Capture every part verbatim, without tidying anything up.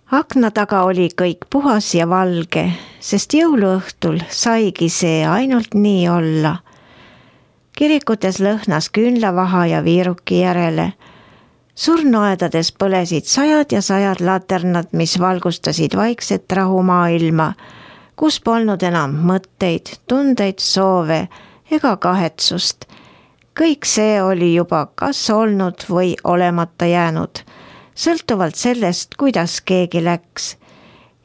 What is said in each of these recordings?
Akna taga oli kõik puhas ja valge, sest jõuluõhtul saigi see ainult nii olla. Kirikutes lõhnas küünlavaha ja viiruki järele. Surnuaedades põlesid sajad ja sajad laternad, mis valgustasid vaikset rahumaailma, kus polnud enam mõtteid, tundeid, soove ega kahetsust. Kõik see oli juba kas olnud või olemata jäänud, sõltuvalt sellest, kuidas keegi läks.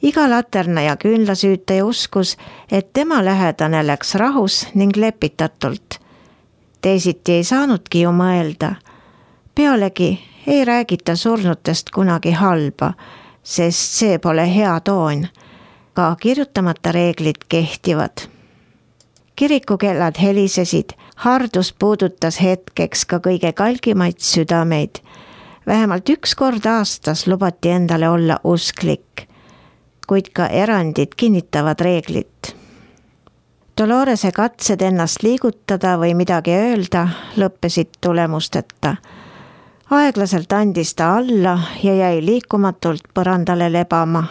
Iga laterna ja küünlasüütaja uskus, et tema lähedane läks rahus ning lepitatult. Teisiti ei saanudki ju mõelda. Pealegi ei räägita surnutest kunagi halba, sest see pole hea toon. Ka kirjutamata reeglid kehtivad. Kirikukellad helisesid, hardus puudutas hetkeks ka kõige kalgimaid südameid. Vähemalt üks kord aastas lubati endale olla usklik, kuid ka erandid kinnitavad reeglit. Dolorese katsed ennast liigutada või midagi öelda lõppesid tulemusteta. Aeglaselt andis ta alla ja jäi liikumatult põrandale lebama.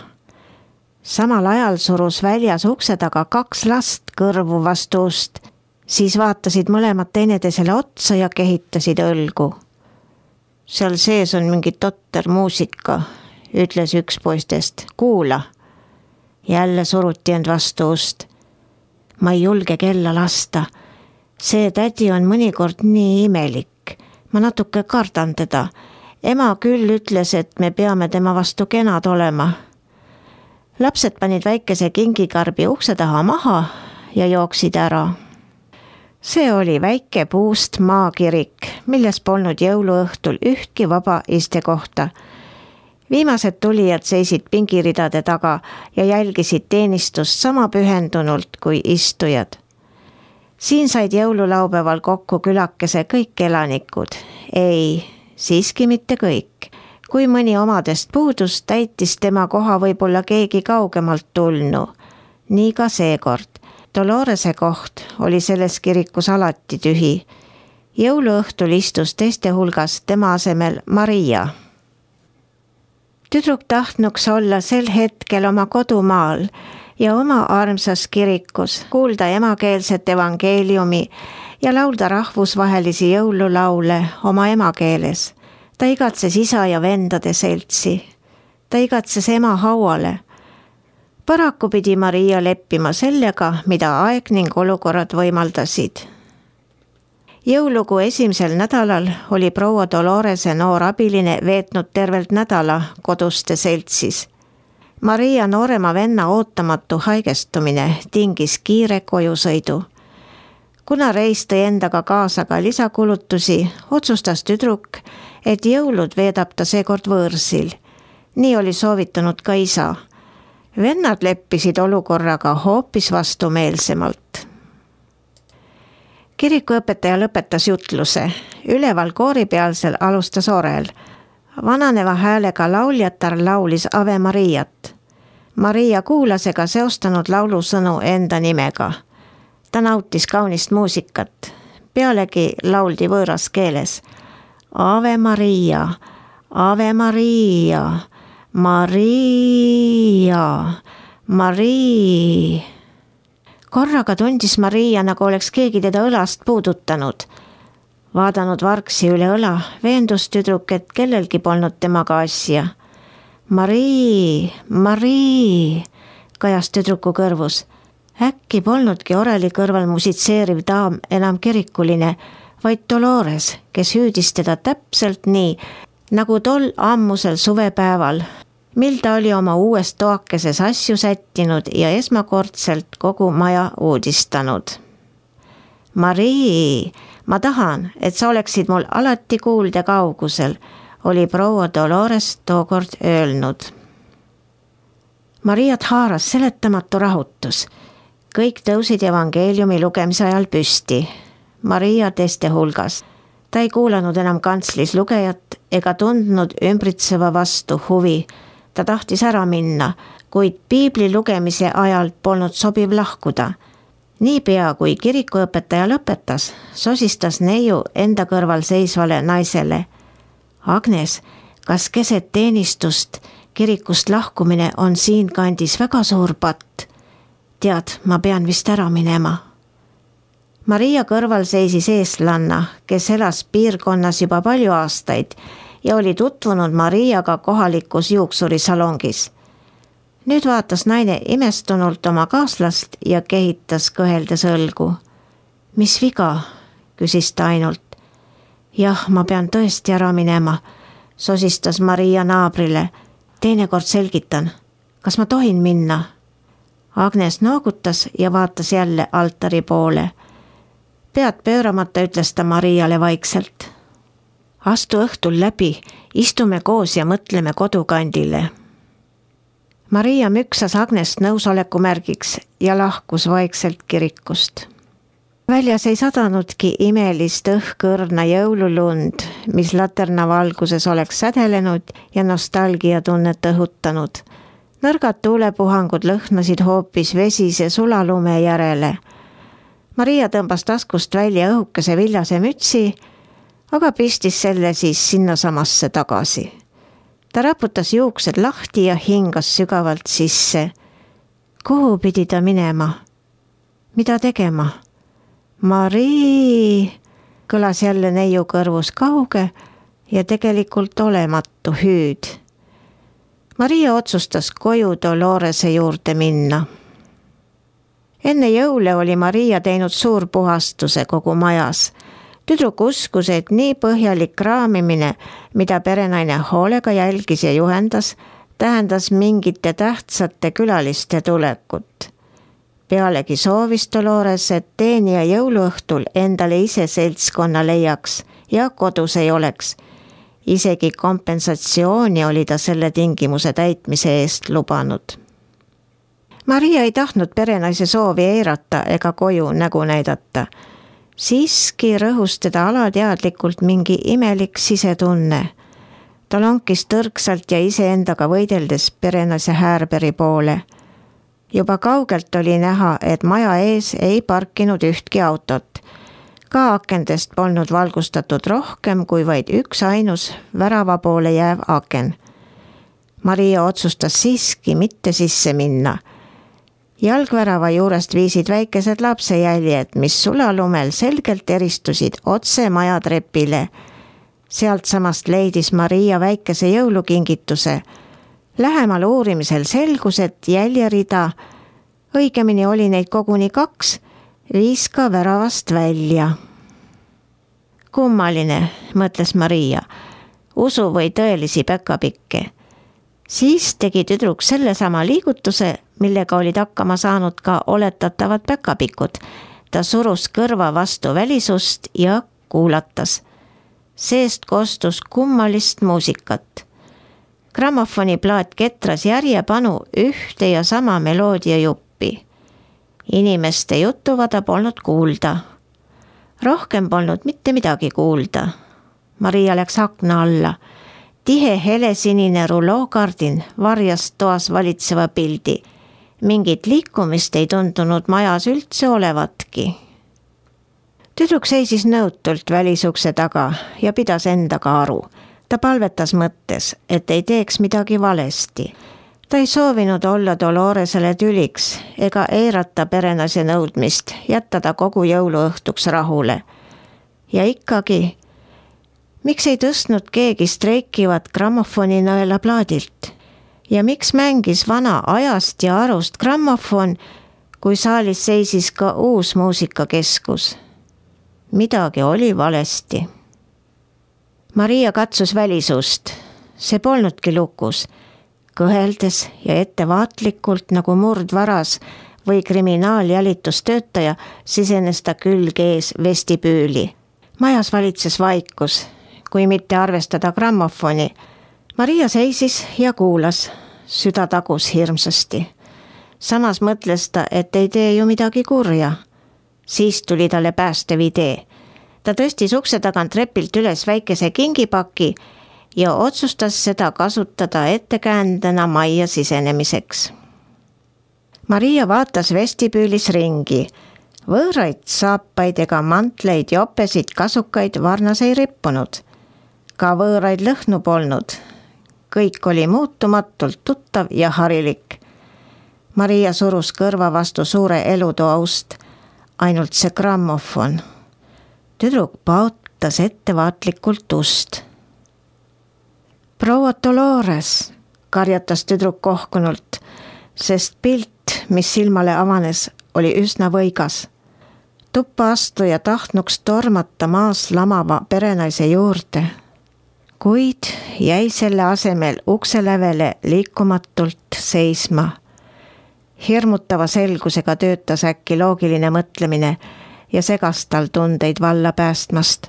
Samal ajal surus väljas ukse taga kaks last kõrvu vastu ust, siis vaatasid mõlemad teineteisele otsa ja kehitasid õlgu. Seal sees on mingi totter muusika, ütles üks poistest. Kuula. Jälle suruti end vastu ust. Ma ei julge kella lasta. See tädi on mõnikord nii imelik. Ma natuke kardan teda. Ema küll ütles, et me peame tema vastu kenad olema. Lapsed panid väikese kingikarbi ukse taha maha ja jooksid ära. See oli väike puust maakirik, milles polnud jõuluõhtul ühtki vaba istekohta. Viimased tulijad seisid pingiridade taga ja jälgisid teenistust sama pühendunult kui istujad. Siin said jõululaupäeval kokku külakese kõik elanikud. Ei, siiski mitte kõik. Kui mõni omadest puudus, täitis tema koha võib-olla keegi kaugemalt tulnu. Nii ka seekord. Dolorese koht oli selles kirikus alati tühi. Jõuluõhtul istus teiste hulgas tema asemel Maria. Tüdruk tahtnuks olla sel hetkel oma kodumaal ja oma armsas kirikus, kuulda emakeelset evangeeliumi ja laulda rahvusvahelisi jõululaule oma emakeeles. Ta igatses isa ja vendade seltsi. Ta igatses ema hauale. Paraku pidi Maria leppima sellega, mida aeg ning olukorrad võimaldasid. Jõulugu esimesel nädalal oli proua Dolorese noor abiline veetnud tervelt nädala koduste seltsis. Maria noorema venna ootamatu haigestumine tingis kiire kojusõidu. Kuna reis tõi endaga kaasa ka lisakulutusi, otsustas tüdruk, et jõulud veedab ta seekord võõrsil. Nii oli soovitanud ka isa. Vennad leppisid olukorraga hoopis vastumeelsemalt. Kirikuõpetaja lõpetas jutluse. Üleval kooripealsel alustas orel. Vananeva häälega lauljatar laulis Ave Mariat. Maria kuulas ega seostanud laulusõnu enda nimega. Ta nautis kaunist muusikat. Pealegi lauldi võõras keeles. Ave Maria, Ave Maria, Maria, Maria. Korraga tundis Maria, nagu oleks keegi teda õlast puudutanud. Vaadanud vargsi üle õla, veendus tüdruk, et kellelgi polnud temaga asja. Marii, Marii, kajas tüdruku kõrvus. Äkki polnudki oreli kõrval musitseeriv daam enam kirikuline, vaid Dolores, kes hüüdis teda täpselt nii, nagu tol ammusel suvepäeval, mil ta oli oma uues toakeses asju sättinud ja esmakordselt kogu maja uudistanud. Marii, ma tahan, et sa oleksid mul alati kuulda kaugusel, oli proua Dolores tookord öelnud. Mariat haaras seletamatu rahutus. Kõik tõusid evangeeliumi lugemise ajal püsti. Maria teiste hulgas. Ta ei kuulanud enam kantslis lugejat ega tundnud ümbritseva vastu huvi. Ta tahtis ära minna, kuid piibli lugemise ajal polnud sobiv lahkuda. Niipea kui kirikuõpetaja lõpetas, sosistas neiu enda kõrval seisvale naisele. Agnes, kas keset teenistust kirikust lahkumine on siinkandis väga suur patt. Tead, ma pean vist ära minema. Maria kõrval seisis eestlanna, kes elas piirkonnas juba palju aastaid ja oli tutvunud Mariaga kohalikus juuksurisalongis. Nüüd vaatas naine imestunult oma kaaslast ja kehitas kõheldes õlgu. Mis viga? Küsis ta ainult. Jah, ma pean tõesti ära minema, sosistas Maria naabrile. Teinekord selgitan. Kas ma tohin minna? Agnes noogutas ja vaatas jälle altari poole. Pead pööramata ütles ta Mariale vaikselt. Astu õhtul läbi, istume koos ja mõtleme kodukandile. Maria müksas Agnest nõusoleku märgiks ja lahkus vaikselt kirikust. Väljas ei sadanudki imelist õhkõrna jõululund, mis laterna valguses oleks sädelenud ja nostalgiatunnet õhutanud. Nõrgad tuulepuhangud lõhnasid hoopis vesise sulalume järele. Maria tõmbas taskust välja õhukese viljase mütsi, aga pistis selle siis sinnasamasse tagasi. Ta raputas juuksed lahti ja hingas sügavalt sisse. Kuhu pidi ta minema? Mida tegema? Marii, kõlas jälle neiu kõrvus kauge ja tegelikult olematu hüüd. Maria otsustas koju Dolorese juurde minna. Enne jõule oli Maria teinud suur puhastuse kogu majas. Tüdruk uskus, et nii põhjalik raamimine, mida perenaine hoolega jälgis ja juhendas, tähendas mingite tähtsate külaliste tulekut. Pealegi soovis Dolores, et teenija jõuluõhtul endale ise seltskonna leiaks ja kodus ei oleks. Isegi kompensatsiooni oli ta selle tingimuse täitmise eest lubanud. Maria ei tahtnud perenaise soovi eirata ega koju nägu näidata. Siiski rõhus teda alateadlikult mingi imelik sisetunne. Ta lonkis tõrksalt ja iseendaga võideldes perenaise Härberi poole. Juba kaugelt oli näha, et maja ees ei parkinud ühtki autot. Ka akendest polnud valgustatud rohkem kui vaid üks ainus värava poole jääv aken. Maria otsustas siiski mitte sisse minna. Jalgvärava juurest viisid väikesed lapsejäljed, mis sulalumel selgelt eristusid otse maja trepile. Sealt samast leidis Maria väikese jõulukingituse. Lähemal uurimisel selgus, et jäljerida, õigemini oli neid koguni kaks, viis ka väravast välja. Kummaline, mõtles Maria, usu või tõelisi päkapikke. Siis tegi tüdruk sellesama liigutuse, millega olid hakkama saanud ka oletatavad päkapikud. Ta surus kõrva vastu välisust ja kuulatas. Seest kostus kummalist muusikat. Grammofoni plaat ketras järjepanu ühte ja sama meloodia juppi. Inimeste jutuvada polnud kuulda. Rohkem polnud mitte midagi kuulda. Maria läks akna alla. Tihe helesinine rulookardin varjas toas valitseva pildi. Mingit liikumist ei tundunud majas üldse olevatki. Tüdruk seisis nõutult välisukse taga ja pidas endaga aru. Ta palvetas mõttes, et ei teeks midagi valesti. Ta ei soovinud olla Doloresele tüliks ega eirata perenaise nõudmist, jätta ta kogu jõuluõhtuks rahule. Ja ikkagi, miks ei tõstnud keegi streikivat grammofoni nõela plaadilt? Ja miks mängis vana ajast ja arust grammofon, kui saalis seisis ka uus muusikakeskus? Midagi oli valesti. Maria katsus välisust. See polnudki lukus. Kõheldes ja ettevaatlikult nagu murdvaras või kriminaaljälitustöötaja sisenes ta külg ees vestibüüli. Majas valitses vaikus, kui mitte arvestada grammofoni. Maria seisis ja kuulas. Süda tagus hirmsasti. Samas mõtles ta, et ei tee ju midagi kurja. Siis tuli talle päästev idee. Ta tõstis ukse tagant trepilt üles väikese kingipaki ja otsustas seda kasutada ettekäändena majja sisenemiseks. Maria vaatas vestibüülis ringi. Võõraid saapaid ega mantleid, jopesid, kasukaid varnas ei rippunud. Ka võõraid lõhnu polnud. kõik oli muutumatult tuttav ja harilik. Maria surus kõrva vastu suure elutoa ust, ainult see grammofon. Tüdruk pautas ettevaatlikult ust. Proua Dolores, karjatas tüdruk kohkunult, sest pilt, mis silmale avanes, oli üsna võigas. Tuppa astuja tahtnuks tormata maas lamava perenaise juurde, kuid jäi selle asemel ukselävele liikumatult seisma. Hirmutava selgusega töötas äkki loogiline mõtlemine ja segas tal tundeid valla päästmast.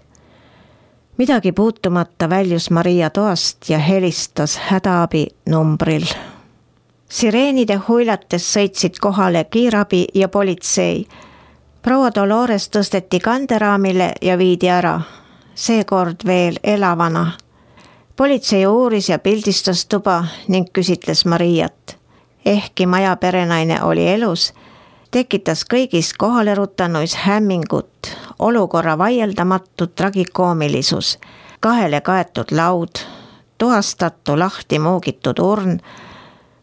Midagi puutumata väljus Maria toast ja helistas hädaabi numbril. Sireenide huilates sõitsid kohale kiirabi ja politsei. Proua Dolores tõsteti kanderaamile ja viidi ära, seekord veel elavana. Politsei uuris ja pildistas tuba ning küsitles Mariat. Ehkki maja perenaine oli elus, tekitas kõigis kohaleruttanuis hämmingut, olukorra vaieldamatu tragikoomilisus, kahele kaetud laud, tuhastatu lahti muugitud urn,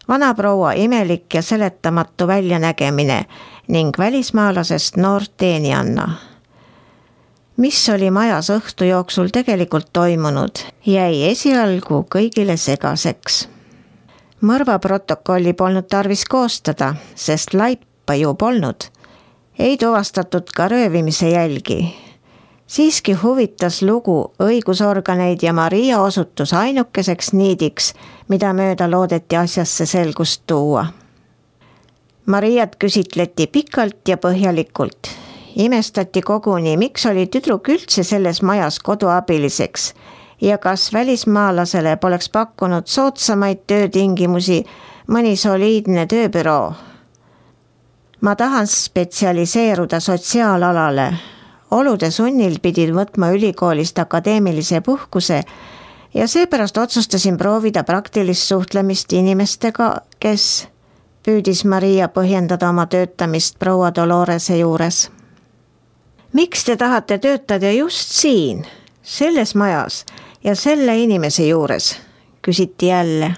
vanaproua imelik ja seletamatu väljanägemine ning välismaalasest noort teenianna. Mis oli majas õhtu jooksul tegelikult toimunud, jäi esialgu kõigile segaseks. Mõrva protokolli polnud tarvis koostada, sest laipa ju polnud. Ei tuvastatud ka röövimise jälgi. Siiski huvitas lugu õigusorganeid ja Maria osutus ainukeseks niidiks, mida mööda loodeti asjasse selgust tuua. Mariat küsitleti pikalt ja põhjalikult. Imestati koguni, miks oli tüdruk üldse selles majas koduabiliseks ja kas välismaalasele poleks pakkunud soodsamaid töötingimusi mõni soliidne tööbüroo. Ma tahan spetsialiseeruda sotsiaalalale. Olude sunnil pidid võtma ülikoolist akadeemilise puhkuse ja seepärast otsustasin proovida praktilist suhtlemist inimestega, kes püüdis Maria põhjendada oma töötamist proua Dolorese juures. Miks te tahate töötada just siin, selles majas ja selle inimese juures, küsiti jälle.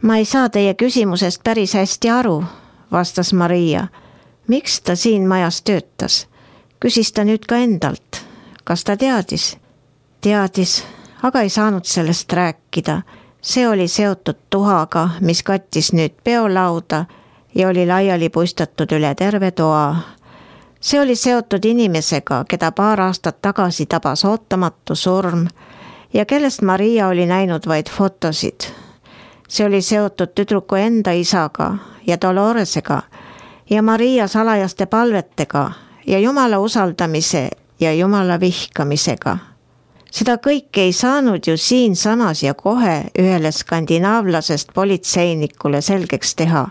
Ma ei saa teie küsimusest päris hästi aru, vastas Maria. Miks ta siin majas töötas? Küsis ta nüüd ka endalt. Kas ta teadis? Teadis, aga ei saanud sellest rääkida. See oli seotud tuhaga, mis kattis nüüd peolauda ja oli laiali puistatud üle terve toa. See oli seotud inimesega, keda paar aastat tagasi tabas ootamatu surm ja kellest Maria oli näinud vaid fotosid. See oli seotud tüdruku enda isaga ja Doloresega ja Maria salajaste palvetega ja Jumala usaldamise ja Jumala vihkamisega. Seda kõike ei saanud ju siin samas ja kohe ühele skandinaavlasest politseinikule selgeks teha.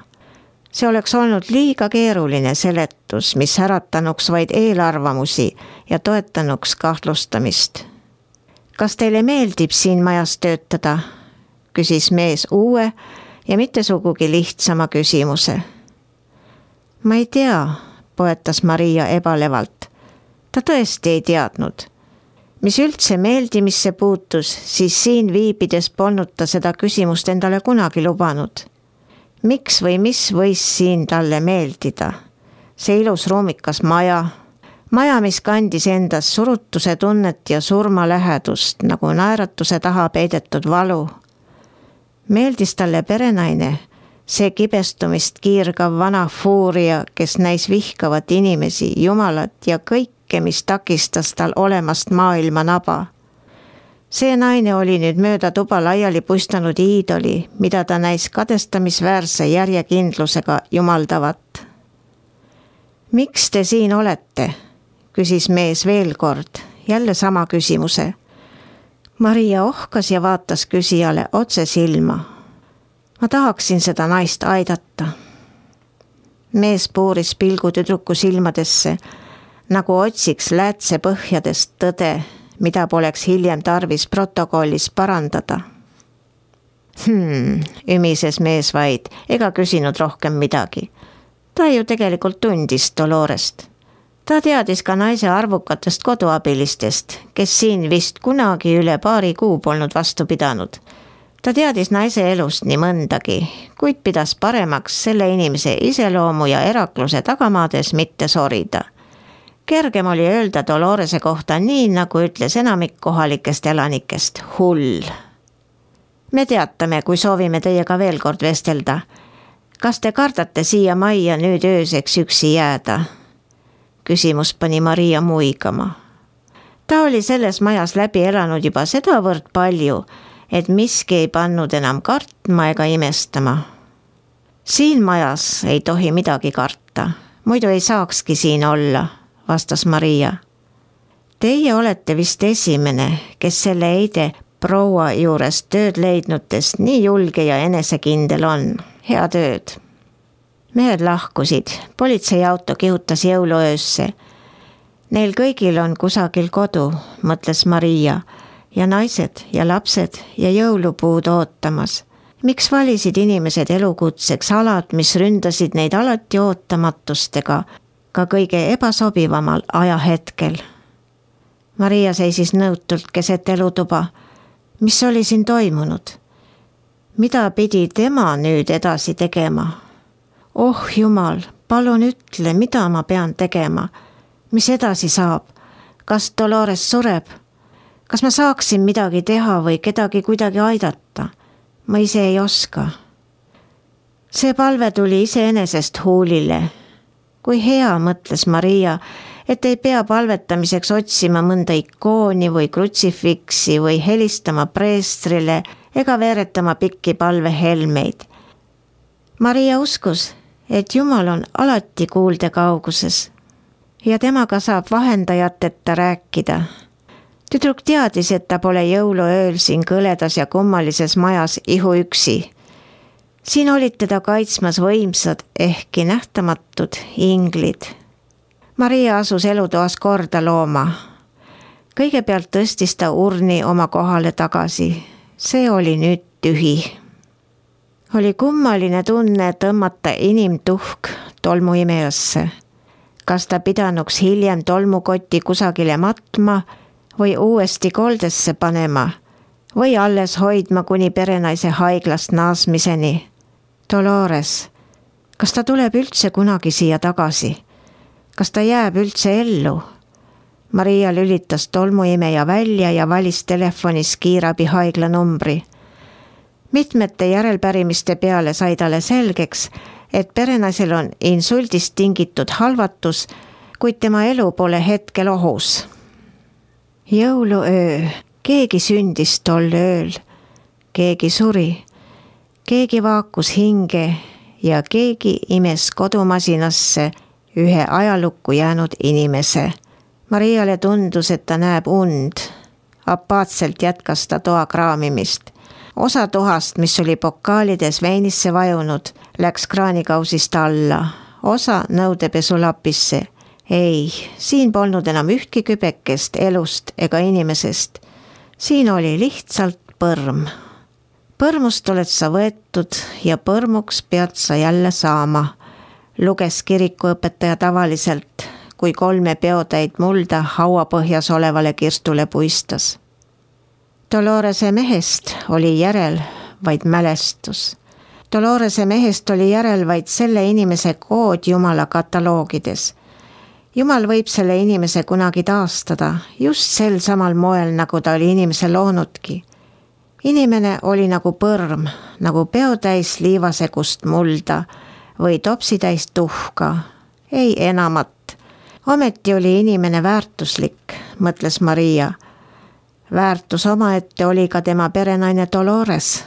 See oleks olnud liiga keeruline seletus, mis äratanuks vaid eelarvamusi ja toetanuks kahtlustamist. Kas teile meeldib siin majas töötada? Küsis mees uue ja mitte sugugi lihtsama küsimuse. Ma ei tea, poetas Maria ebalevalt. Ta tõesti ei teadnud. Mis üldse meeldimisse puutus, siis siin viibides polnud ta seda küsimust endale kunagi lubanud. Miks või mis võis siin talle meeldida? See ilus ruumikas maja, maja, mis kandis endas surutuse tunnet ja surma lähedust, nagu naeratuse taha peidetud valu. Meeldis talle perenaine, see kibestumist kiirgav vana fuuria, kes näis vihkavat inimesi, jumalat ja kõike, mis takistas tal olemast maailma naba. See naine oli nüüd mööda tuba laiali puistanud iidoli, mida ta näis kadestamisväärse järjekindlusega jumaldavat. Miks te siin olete? Küsis mees veel kord, jälle sama küsimuse. Maria ohkas ja vaatas küsijale otse silma. Ma tahaksin seda naist aidata. Mees puuris pilgu tüdruku silmadesse, nagu otsiks läätse põhjadest tõde, mida poleks hiljem tarvis protokollis parandada. Hmm, ümises mees vaid, ega küsinud rohkem midagi. Ta ju tegelikult tundis Dolorest. Ta teadis ka naise arvukatest koduabilistest, kes siin vist kunagi üle paari kuu polnud vastu pidanud. ta teadis naise elust nii mõndagi, kuid pidas paremaks selle inimese iseloomu ja erakluse tagamaades mitte sorida. Kergem oli öelda Dolorese kohta nii, nagu ütles enamik kohalikest elanikest, hull. Me teatame, kui soovime teiega veel kord vestelda. Kas te kardate siia majja nüüd ööseks üksi jääda? Küsimus pani Maria muigama. Ta oli selles majas läbi elanud juba sedavõrd palju, et miski ei pannud enam kartma ega imestama. Siin majas ei tohi midagi karta, muidu ei saakski siin olla, vastas Maria. Teie olete vist esimene, kes selle eide proua juures tööd leidnutest nii julge ja enesekindel on. Head ööd. Mehed lahkusid, politseiauto kihutas jõuluöösse. Neil kõigil on kusagil kodu, mõtles Maria, ja naised ja lapsed ja jõulupuud ootamas. Miks valisid inimesed elukutseks alad, mis ründasid neid alati ootamatustega, ka kõige ebasobivamal ajahetkel? Maria seisis nõutult keset elutuba. Mis oli siin toimunud? Mida pidi tema nüüd edasi tegema? Oh Jumal, palun ütle, mida ma pean tegema? Mis edasi saab? Kas Dolores sureb? Kas ma saaksin midagi teha või kedagi kuidagi aidata? Ma ise ei oska. See palve tuli iseenesest huulile. Kui hea, mõtles Maria, et ei pea palvetamiseks otsima mõnda ikooni või krutsifiksi või helistama preestrile ega veeretama pikki palvehelmeid. Maria uskus, et Jumal on alati kuulde kauguses ja temaga saab vahendajateta rääkida. Tüdruk teadis, et ta pole jõuluööl siin kõledas ja kummalises majas ihu üksi. Siin olid teda kaitsmas võimsad, ehkki nähtamatud inglid. Maria asus elutoas korda looma. Kõigepealt tõstis ta urni oma kohale tagasi. See oli nüüd tühi. Oli kummaline tunne tõmmata inimtuhk tolmuimejasse. Kas ta pidanuks hiljem tolmukoti kusagile matma või uuesti koldesse panema või alles hoidma kuni perenaise haiglast naasmiseni. Dolores, kas ta tuleb üldse kunagi siia tagasi? Kas ta jääb üldse ellu? Maria lülitas tolmuimeja välja ja valis telefonis kiirabi haigla numbri. Mitmete järelpärimiste peale sai talle selgeks, et perenaisel on insuldist tingitud halvatus, kuid tema elu pole hetkel ohus. Jõuluöö, keegi sündis tol ööl, keegi suri, keegi vaakus hinge ja keegi imes kodumasinasse ühe ajalukku jäänud inimese. Mariale tundus, et ta näeb und. Apaatselt jätkas ta toa kraamimist. Osa tohast, mis oli pokaalides veinisse vajunud, läks kraanikausist alla. Osa nõudepesulapisse. Ei, siin polnud enam ühtki kübekest elust ega inimesest. Siin oli lihtsalt põrm. Põrmust oled sa võetud ja põrmuks pead sa jälle saama, luges kirikuõpetaja tavaliselt, kui kolme peotäid mulda hauapõhjas olevale kirstule puistas. Dolorese mehest oli järel vaid mälestus. Dolorese mehest oli järel vaid selle inimese kood Jumala kataloogides. Jumal võib selle inimese kunagi taastada, just sel samal moel, nagu ta oli inimese loonudki. Inimene oli nagu põrm, nagu peotäis liivasegust mulda või topsitäis tuhka. Ei enamat. Ometi oli inimene väärtuslik, mõtles Maria. Väärtus omaette oli ka tema perenaine Dolores.